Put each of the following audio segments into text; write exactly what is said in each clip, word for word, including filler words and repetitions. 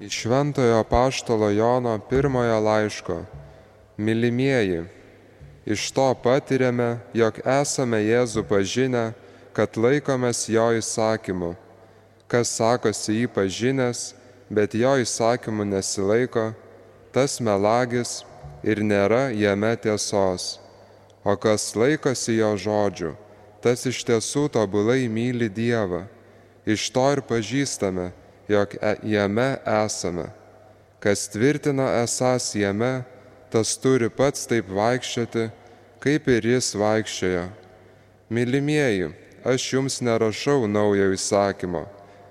Iš Šventojo apaštalo Jono pirmojo laiško. Mylimieji, iš to patiriame, jog esame Jėzų pažinę, kad laikomės jo įsakymų. Kas sakosi jį pažinęs, bet jo įsakymų nesilaiko, tas melagis ir nėra jame tiesos. O kas laikosi jo žodžių, tas iš tiesų tobulai myli Dievą. Iš to ir pažįstame, jog jame esame. Kas tvirtina esąs jame, tas turi pats taip vaikščioti, kaip ir jis vaikščiojo. Mylimieji, aš jums nerašau naujo įsakymo,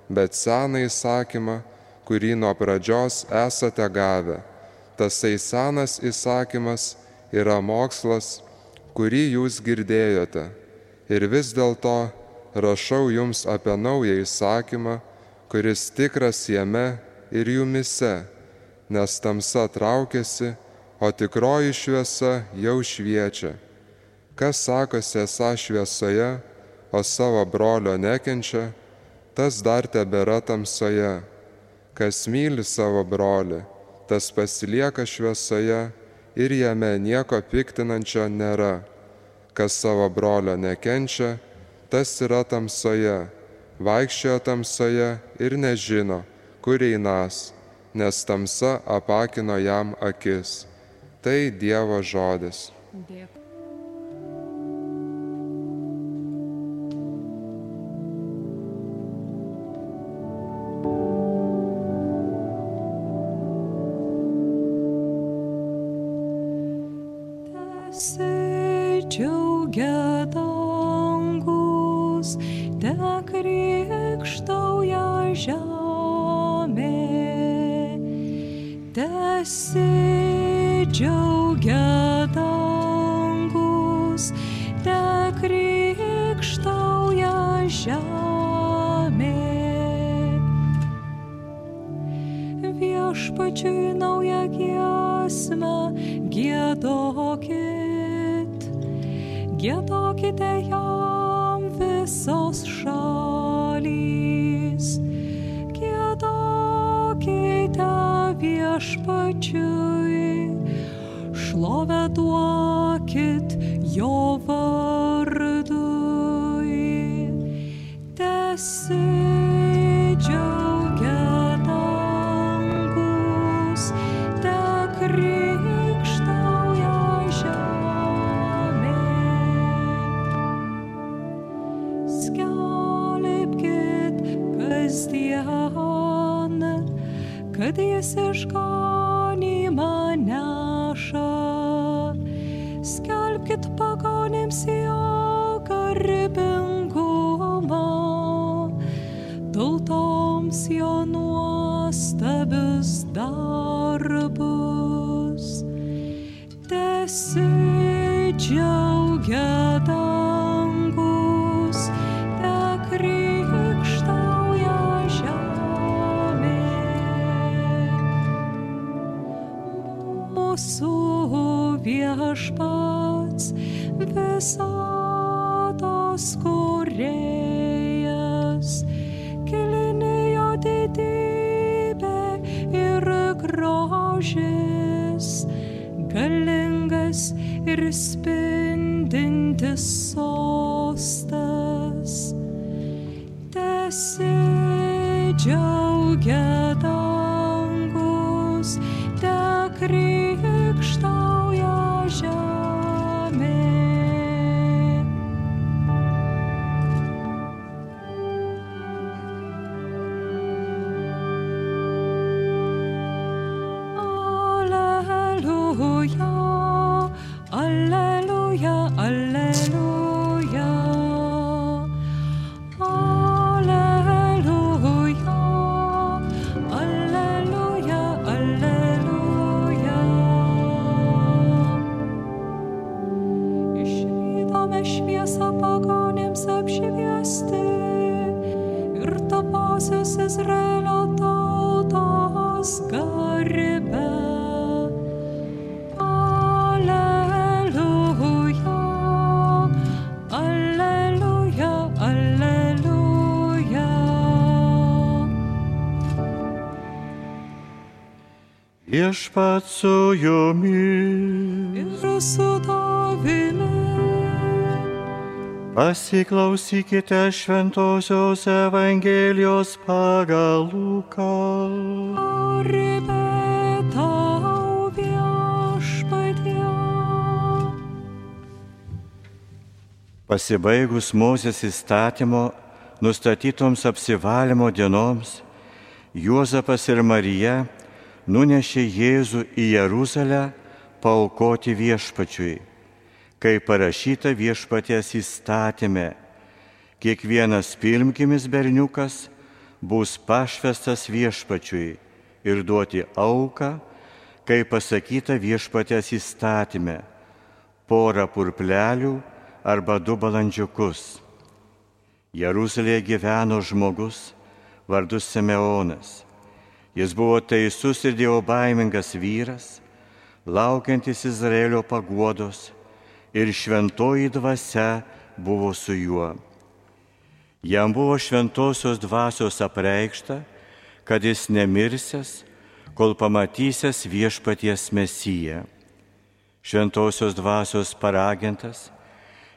bet seną įsakymą, kurį nuo pradžios esate gavę. Tasai senas įsakymas yra mokslas, kurį jūs girdėjote. Ir vis dėlto rašau jums apie naują įsakymą, kuris tikras jame ir jumise, nes tamsa traukiasi, o tikroji šviesa jau šviečia. Kas sakosi esą šviesoje, o savo brolio nekenčia, tas dar tebėra tamsoje. Kas myli savo brolį, tas pasilieka šviesoje ir jame nieko piktinančio nėra. Kas savo brolio nekenčia, tas yra tamsoje, vaikščioja tamsoje ir nežino, kur einas, nes tamsa apakino jam akis. Tai Dievo žodis. Dėkui. Džiaugia dangus, te krikštauja žemė. Tesidžiaugia dangus, te krikštauja žemė. Viešpačiui naują giesmę giedokit. Giedokite jam visos šalys, giedokite viešpačiui, šlovę duokit jo vardui. Tesidžiaugia dangus, te krikštauja žemė. Kasdien, kad jis išganymą neša. Skelbkit pagonims jo garbingumą, tautoms jo nuostabius darbus. Tesidžiaugia dangus, te krikštauja žemė. Mūsų viešpats visatos kūrėjas, kilni jo didybė ir grožis, galingas ir spindintis sostas. Tesidžiaugia dangus, te krikštauja žemė. Alleluja, alleluja, alleluja. Izraelio tautos garbę. Alleluja, alleluja, alleluja. Viešpats su jumis. Ir su tavimi. Pasiklausykite Šventosios Evangelijos pagal Luką. Garbė tau, Viešpatie. Pasibaigus Mozės įstatymo nustatytoms apsivalymo dienoms, Juozapas ir Marija nunešė Jėzų į Jeruzalę paaukoti Viešpačiui, kaip parašyta Viešpaties įstatyme. Kiekvienas pirmgimis berniukas bus pašvestas Viešpačiui ir duoti auką, kaip pasakyta Viešpaties įstatyme, porą purplelių arba du balandžiukus. Jeruzalėje gyveno žmogus vardu Simeonas. Jis buvo teisus ir dievobaimingas vyras, laukiantis Izraelio paguodos, ir šventoji dvasia buvo su juo. Jam buvo šventosios dvasios apreikšta, kad jis nemirsęs, kol pamatysęs Viešpaties Mesiją. Šventosios dvasios paragintas,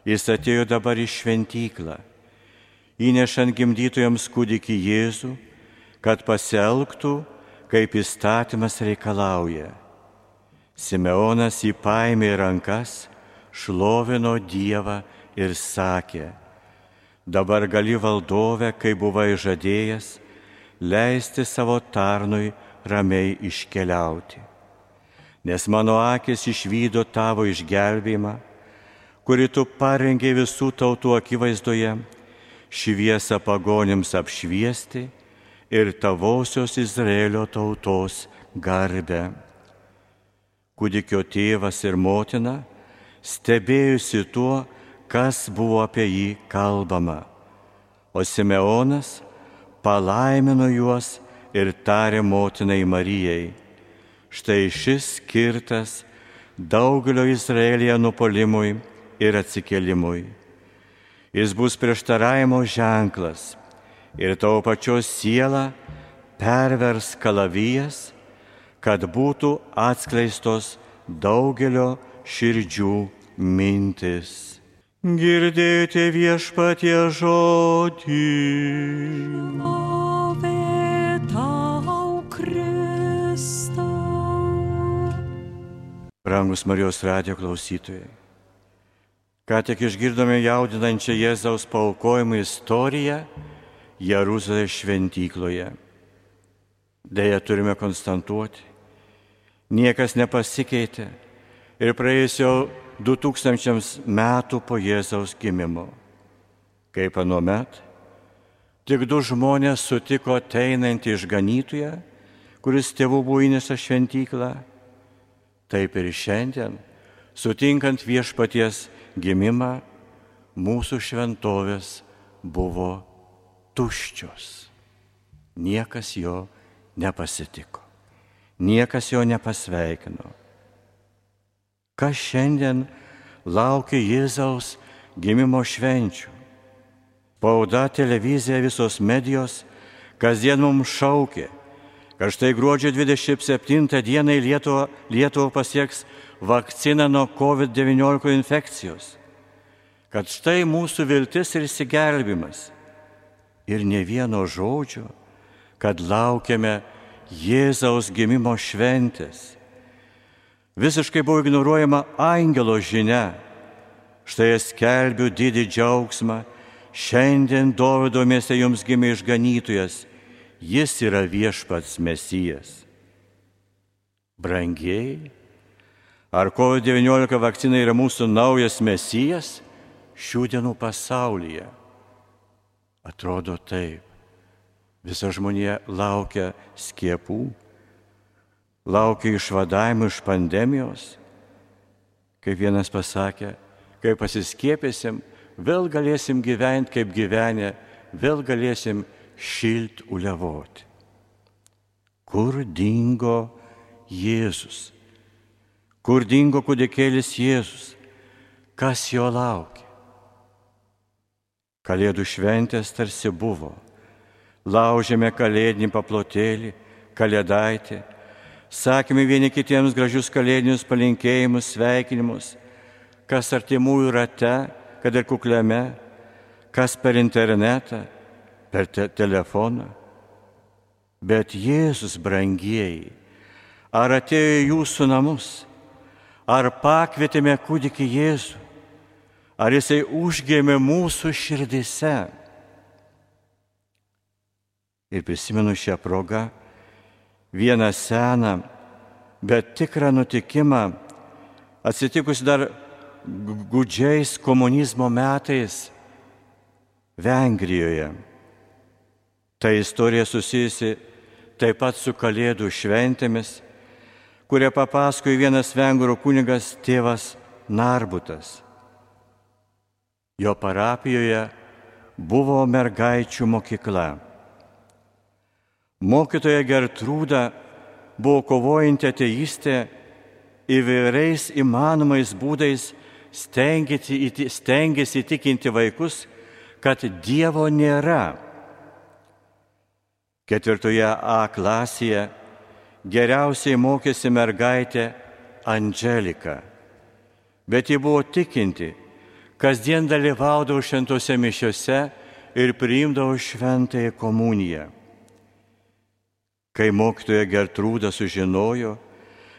jis atėjo dabar į šventyklą, įnešant gimdytojams kūdikį Jėzų, kad pasielgtų, kaip įstatymas reikalauja. Simeonas jį paėmė į rankas, šlovino Dievą ir sakė: dabar gali valdove, kaip buvai žadėjęs, leisti savo tarnui ramiai iškeliauti. Nes mano akis išvydo tavo išgelbėjimą, kurį tu parengei visų tautų akivaizdoje, šviesą pagonims apšviesti ir tavosios Izraelio tautos garbę. Kūdikio tėvas ir motina stebėjusi tuo, kas buvo apie jį kalbama, o Simeonas palaimino juos ir tarė motinai Marijai: štai šis skirtas daugelio Izraelyje nupuolimui ir atsikėlimui. Jis bus prieštaravimo ženklas ir tavo pačios sielą pervers kalavijas, kad būtų atskleistos daugelio širdžių mintis. Girdėti Viešpatie žodį. Šlovė tau, Kristau. Brangus Marijos radijo klausytojai, ką tik išgirdome jaudinančią Jėzaus paaukojimo istoriją Jeruzalės šventykloje. Deja, turime konstatuoti, niekas nepasikeitė ir praėjus jau du tūkstančiams metų po Jėzaus gimimo. Kaip anuomet, tik du žmonės sutiko ateinantį išganytoją, kuris tėvų buvo įnešęs šventyklą. Taip ir šiandien, sutinkant Viešpaties gimimą, mūsų šventovės buvo tuščios. Niekas jo nepasitiko, niekas jo nepasveikino. Kas šiandien laukia Jėzaus gimimo švenčių? Spauda, televizija, visos medijos kasdien mums šaukė, kad štai gruodžio dvidešimt septintą dieną Lietuva, Lietuva pasieks vakciną nuo kovid devyniolika infekcijos, kad štai mūsų viltis ir išsigelbimas. Ir ne vieno žodžio, kad laukiame Jėzaus gimimo šventės. Visiškai buvo ignoruojama angelo žinia. Štai skelbiu didį džiaugsmą, šiandien Dovydo mieste jums gimė išganytojas, jis yra Viešpats Mesijas. Brangieji, ar kovid devyniolika vakcina yra mūsų naujas Mesijas šių dienų pasaulyje? Atrodo taip. Visa žmonija laukia skiepų, laukia išvadavimų iš pandemijos. Kaip vienas pasakė, kai pasiskiepėsim, vėl galėsim gyventi kaip gyvenę, vėl galėsim šilt uliavoti. Kur dingo Jėzus? Kur dingo kūdikėlis Jėzus? Kas jo laukia? Kalėdų šventės tarsi buvo. Laužėme kalėdinį paplotėlį, kalėdaitį, sakėme vieni kitiems gražius kalėdinius palinkėjimus, sveikinimus, kas artimųjų rate, kad ir kukliame, kas per internetą, per te telefoną. Bet Jėzus, brangieji, ar atėjo į jūsų namus, ar pakvietėme kūdikį Jėzų, ar jisai užgėmė mūsų širdise. Ir prisimenu šią progą vieną seną, bet tikrą nutikimą, atsitikus dar gūdžiais komunizmo metais Vengrijoje. Ta istorija susijusi taip pat su Kalėdų šventėmis, kurią papasakojo vienas vengrų kunigas tėvas Narbutas. Jo parapijoje buvo mergaičių mokykla. Mokytoja Gertrūda buvo kovojanti ateistė, įvairiais įmanomais būdais stengiasi, stengiasi įtikinti vaikus, kad Dievo nėra. Ketvirtoje A klasėje geriausiai mokėsi mergaitė Andželika, bet ji buvo tikinti, kasdien dalyvaudavo šventose mišiose ir priimdavo šventąją komuniją. Kai mokytoja Gertrūda sužinojo,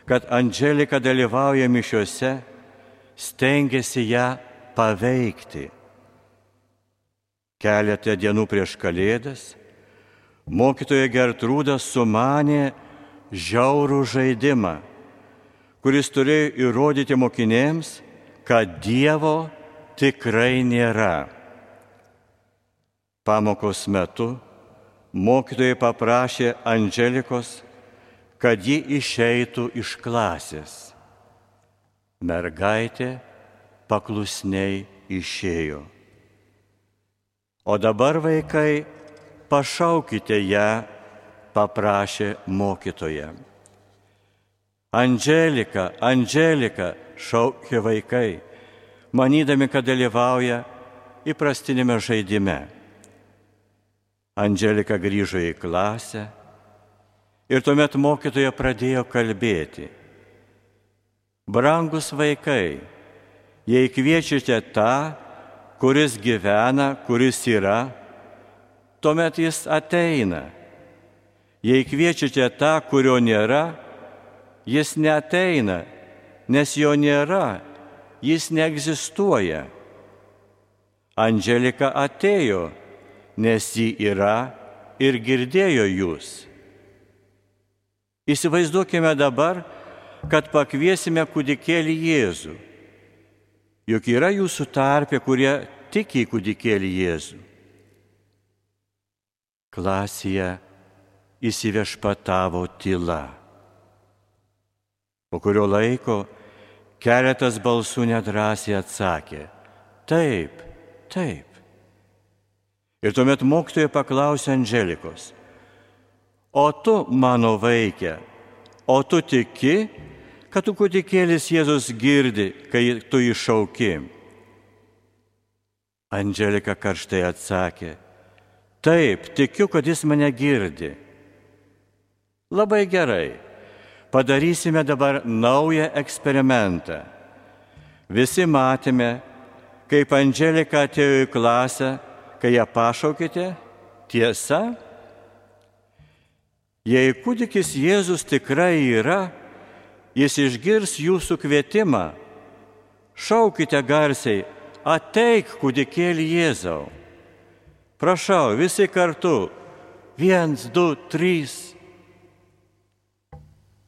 kad Andželika dalyvauja mišiose, stengėsi ją paveikti. Keletą dienų prieš Kalėdas mokytoja Gertrūda sumanė žiaurų žaidimą, kuris turėjo įrodyti mokinėms, kad Dievo tikrai nėra. Pamokos metu mokytojai paprašė Andželikos, kad ji išeitų iš klasės. Mergaitė paklusniai išėjo. O dabar, vaikai, pašaukite ją, paprašė mokytoja. Andželika, Andželika, šaukė vaikai, manydami, kad dalyvauja įprastinėme žaidime. Andželika grįžo į klasę ir tuomet mokytoja pradėjo kalbėti. Brangus vaikai, jei kviečiate tą, kuris gyvena, kuris yra, tuomet jis ateina. Jei kviečiate tą, kurio nėra, jis neateina, nes jo nėra, jis neegzistuoja. Andželika atėjo, nes ji yra ir girdėjo jūs. Įsivaizduokime dabar, kad pakviesime kūdikėlį Jėzų. Juk yra jūsų tarpe, kurie tiki į kūdikėlį Jėzų. Klasėje įsiviešpatavo tyla. Po kurio laiko keletas balsų nedrąsiai atsakė: taip, taip. Ir tuomet mokytoja paklausė Andželikos: o tu, mano vaike, o tu tiki, kad tu kūdikėlis Jėzus girdi, kai tu jį šauki? Andželika karštai atsakė: taip, tikiu, kad jis mane girdi. Labai gerai, padarysime dabar naują eksperimentą. Visi matėme, kaip Andželika atėjo į klasę, kai ją pašaukite, tiesa? Jei kūdikis Jėzus tikrai yra, jis išgirs jūsų kvietimą. Šaukite garsiai: ateik, kūdikėlį Jėzau. Prašau, visi kartu. Viens, du, trys.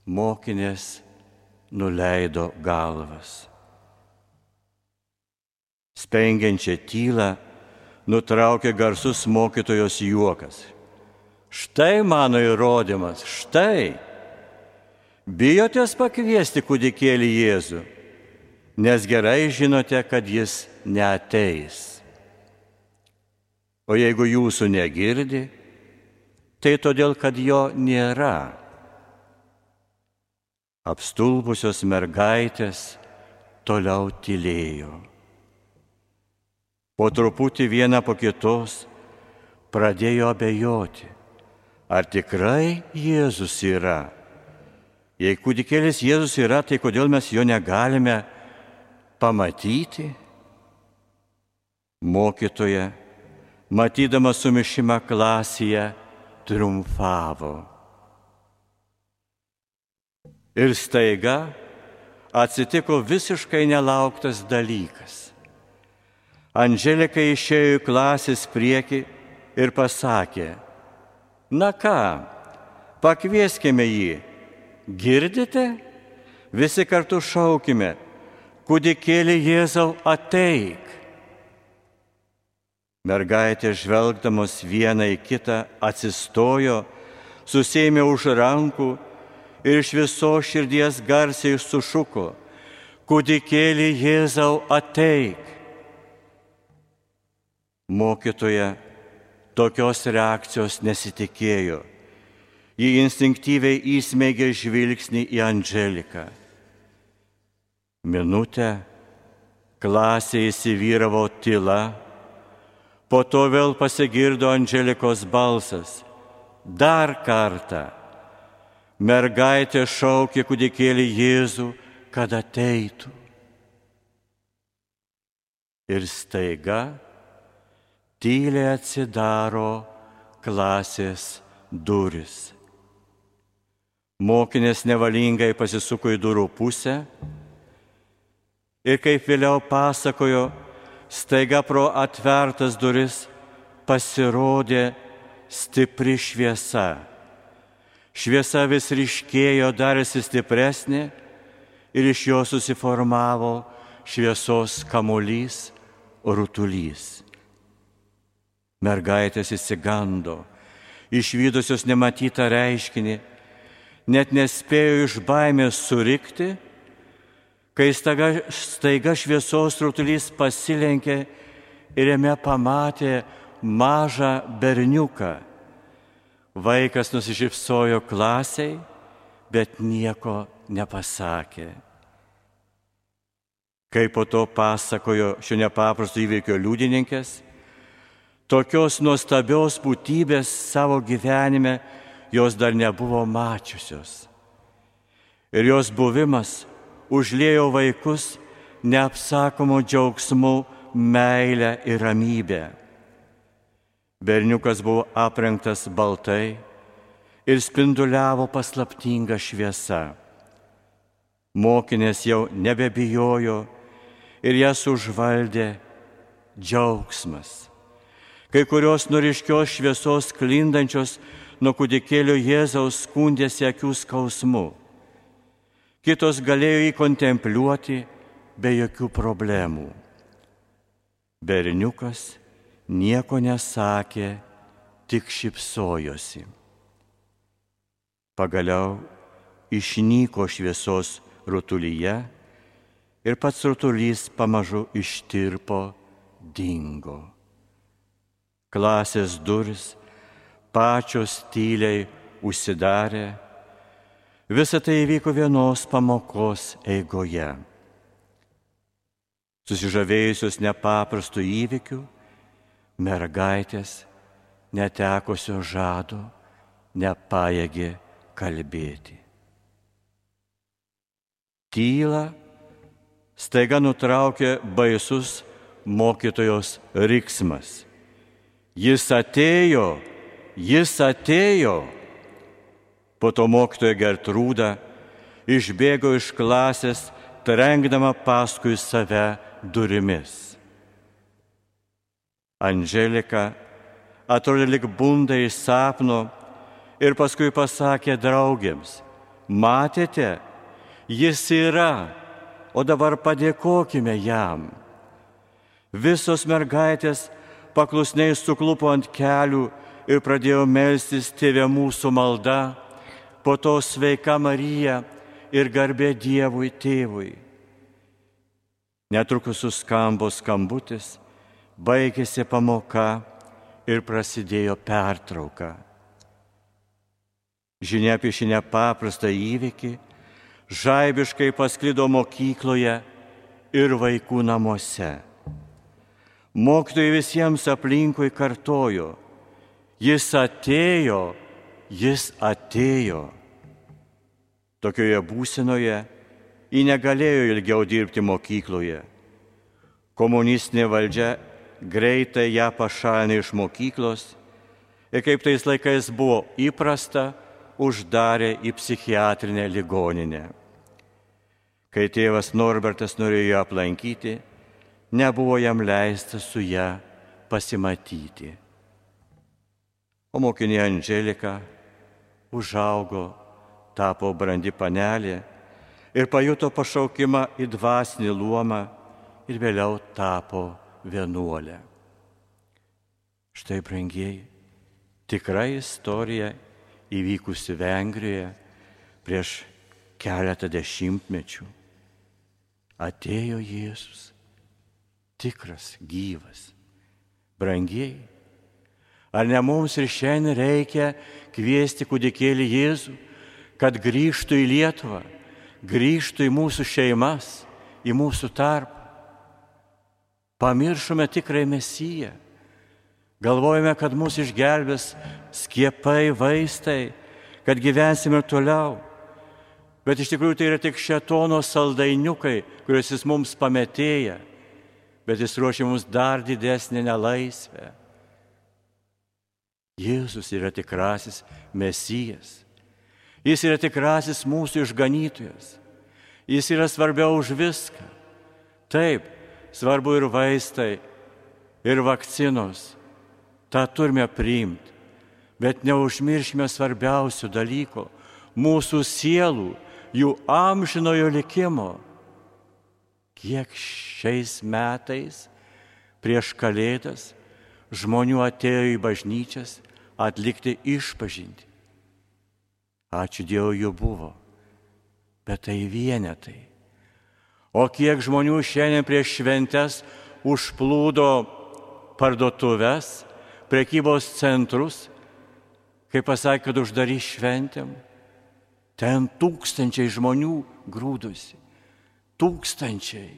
Mokinės nuleido galvas. Spengiančią tylą nutraukė garsus mokytojos juokas. Štai mano įrodymas, štai. Bijotės pakviesti kūdikėlį Jėzų, nes gerai žinote, kad jis neateis. O jeigu jūsų negirdi, tai todėl, kad jo nėra. Apstulbusios mergaitės toliau tylėjo. Po truputį viena po kitos pradėjo abejoti, ar tikrai Jėzus yra. Jei kūdikėlis Jėzus yra, tai kodėl mes jo negalime pamatyti? Mokytoja, matydama sumišimą klasėje, triumfavo. Ir staiga atsitiko visiškai nelauktas dalykas. Andželika išėjo į klasės priekį ir pasakė: na ką, pakvieskime jį. Girdite? Visi kartu šaukime: kūdikėli Jėzau, ateik. Mergaitė, žvelgdamos vieną į kitą, atsistojo, susėmė už rankų ir iš visos širdies garsiai sušuko: kūdikėli Jėzau, ateik. Mokytoja tokios reakcijos nesitikėjo. Ji instinktyviai įsmeigė žvilgsnį į Andželiką. Minutę klasėje įsivyravo tyla, po to vėl pasigirdo Andželikos balsas: dar kartą. Mergaitė šaukė kūdikėlį Jėzų, kad ateitų. Ir staiga tyliai atsidaro klasės durys. Mokinės nevalingai pasisuko į durų pusę ir, kaip vėliau pasakojo, staiga pro atvertas duris pasirodė stipri šviesa. Šviesa vis ryškėjo, darėsi stipresnė ir iš jo susiformavo šviesos kamuolys, rutulys. Mergaitės išsigando, išvydusios nematytą reiškinį, net nespėjo iš baimės surikti, kai staiga, staiga šviesos rutulys pasilenkė ir jame pamatė mažą berniuką. Vaikas nusišypsojo klasiai, bet nieko nepasakė. Kaip po to pasakojo šio nepaprasto įvykio liudininkės, tokios nuostabios būtybės savo gyvenime jos dar nebuvo mačiusios. Ir jos buvimas užliejo vaikus neapsakomu džiaugsmu, meile ir ramybė. Berniukas buvo aprengtas baltai ir spinduliavo paslaptinga šviesa. Mokinės jau nebebijojo ir jas užvaldė džiaugsmas. Kai kurios nuo ryškios šviesos sklindančios nuo kūdikėlio Jėzaus skundėsi akių skausmu. Kitos galėjo jį kontempliuoti be jokių problemų. Berniukas nieko nesakė, tik šypsojosi. Pagaliau išnyko šviesos rutulyje ir pats rutulys pamažu ištirpo, dingo. Klasės durys pačios tyliai užsidarė. Visa tai įvyko vienos pamokos eigoje. Susižavėjusios nepaprastų įvykių, mergaitės netekusio žado nepajėgė kalbėti. Tylą staiga nutraukė baisus mokytojos riksmas. Jis atėjo, jis atėjo. Po to mokytoja Gertrūda išbėgo iš klasės, trenkdama paskui save durimis. Andželika atrodė lyg bunda iš sapno ir paskui pasakė draugėms: matėte, jis yra, o dabar padėkokime jam. Visos mergaitės paklusniai suklupo ant kelių ir pradėjo melstis Tėve mūsų malda, po to Sveika Marija ir garbė Dievui Tėvui. Netrukus suskambo skambutis, baigėsi pamoka ir prasidėjo pertrauka. Žinia apie šį nepaprastą įvykį žaibiškai pasklido mokykloje ir vaikų namuose. Mokytojai visiems aplinkui kartojo: jis atėjo, jis atėjo. Tokioje būsenoje ji negalėjo ilgiau dirbti mokykloje. Komunistinė valdžia greitai ją pašalino iš mokyklos ir kaip tais laikais buvo įprasta, uždarė į psichiatrinę ligoninę. Kai tėvas Norbertas norėjo ją aplankyti, nebuvo jam leista su ją pasimatyti. O mokinė Andželika užaugo, tapo brandi panelė ir pajuto pašaukimą į dvasinį luomą ir vėliau tapo vienuolė. Štai, brangieji, tikra istorija įvykusi Vengrijoje prieš keletą dešimtmečių. Atėjo Jėzus, tikras, gyvas. Brangieji, ar ne mums ir šiandien reikia kviesti kūdikėlį Jėzų, kad grįžtų į Lietuvą, grįžtų į mūsų šeimas, į mūsų tarpą? Pamiršome tikrąjį Mesiją. Galvojame, kad mūsų išgelbės skiepai, vaistai, kad gyvensime toliau. Bet iš tikrųjų tai yra tik šėtono saldainiukai, kuriuos jis mums pametėja, bet jis ruošia mums dar didesnį nelaisvę. Jėzus yra tikrasis Mesijas. Jis yra tikrasis mūsų išganytojas. Jis yra svarbiau už viską. Taip, svarbu ir vaistai, ir vakcinos. Ta turime priimti, bet neužmirškime svarbiausių dalykų – mūsų sielų, jų amžinojo likimo. Kiek šiais metais prieš Kalėdas žmonių atėjo į bažnyčias atlikti išpažintį. Ačiū Dievui, jų buvo, bet tai vienetai. O kiek žmonių šiandien prieš šventes užplūdo parduotuves, prekybos centrus, kai pasakė, kad uždarys šventėm, ten tūkstančiai žmonių grūdusi, tūkstančiai,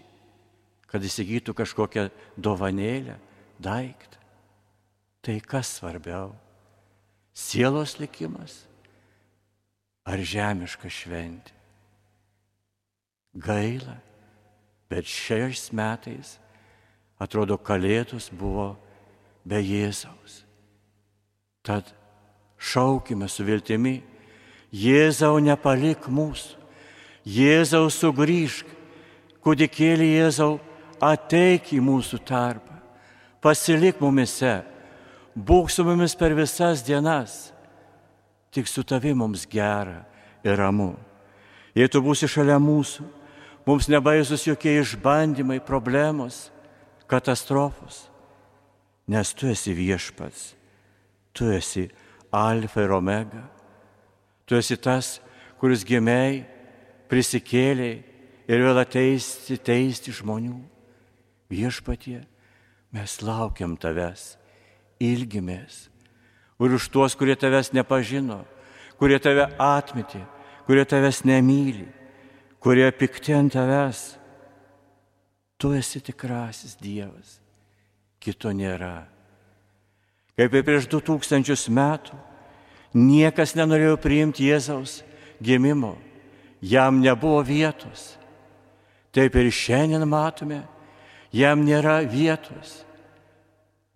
kad įsigytų kažkokią dovanėlę, daiktą. Tai kas svarbiau? Sielos likimas ar žemiška šventė? Gaila, bet šiais metais, atrodo, Kalėdos buvo be Jėzaus. Tad šaukime su viltimi, Jėzau, nepalik mūsų, Jėzau, sugrįžk, kūdikėlį Jėzau, ateik į mūsų tarpą, pasilik mumise, būk su mumis per visas dienas, tik su tavi mums gera ir ramu. Jei tu būsi šalia mūsų, mums nebaisus jokie išbandymai, problemos, katastrofos, nes tu esi viešpats, tu esi alfa ir omega, tu esi tas, kuris gimei, prisikėlei ir vėl ateisti teisti žmonių. Viešpatie, mes laukiam tavęs, ilgimės, ir už tuos, kurie tavęs nepažino, kurie tave atmetė, kurie tavęs nemyli, kurie pikti ant tavęs. Tu esi tikrasis Dievas, kito nėra. Kaip ir prieš du tūkstančius metų, niekas nenorėjo priimti Jėzaus gimimo, jam nebuvo vietos. Taip ir šiandien matome, jam nėra vietos.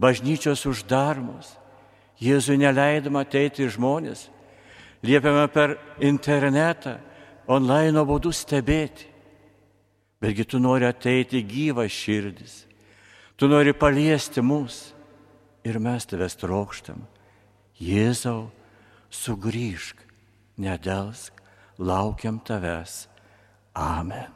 Bažnyčios uždaromos, Jėzui neleidama ateiti žmonės, liepiama per internetą, online būdu stebėti. Betgi tu nori ateiti gyvas širdis, tu nori paliesti mus ir mes tavęs trokštam. Jėzau, sugrįžk, nedelsk, laukiam tavęs. Amen.